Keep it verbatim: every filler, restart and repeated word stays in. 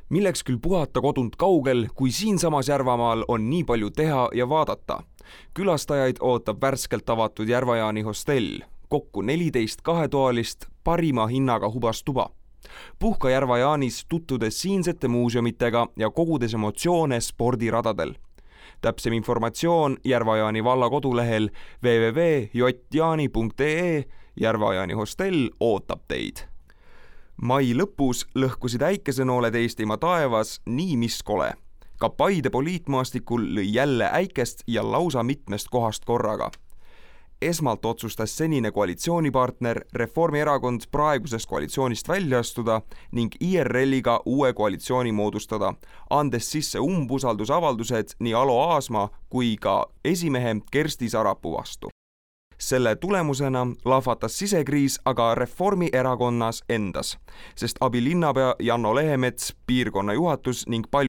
Milleks küll puhata kodunt kaugel, kui siinsamas Järvamaal on nii palju teha ja vaadata. Külastajaid ootab värskelt avatud Järva-Jaani hostell, kokku neliteist kahetoalist parima hinnaga hubastuba. Puhka Järva-Jaanis tutvudes siinsete muuseumitega ja kogudes emotsioone spordiradadel. Täpsem informatsioon Järva-Jaani valla kodulehel w w w punkt j jaani punkt e e. Järva-Jaani hostell ootab teid. Mai lõpus lõhkusid äikesenooled Eestimaa taevas nii mis kole. Ka Paide poliitmaastikul lõi jälle äikest ja lausa mitmest kohast korraga. Esmalt otsustas senine koalitsioonipartner Reformierakond praegusest koalitsioonist välja astuda ning I R L-iga uue koalitsiooni moodustada, andes sisse umbusaldusavaldused nii Alo Aasma kui ka esimehe Kersti Sarapuu vastu. Selle tulemusena lahvatas sisekriis aga Reformierakonnas endas, sest abilinnapea Janno Lehemets, piirkonna juhatus ning palju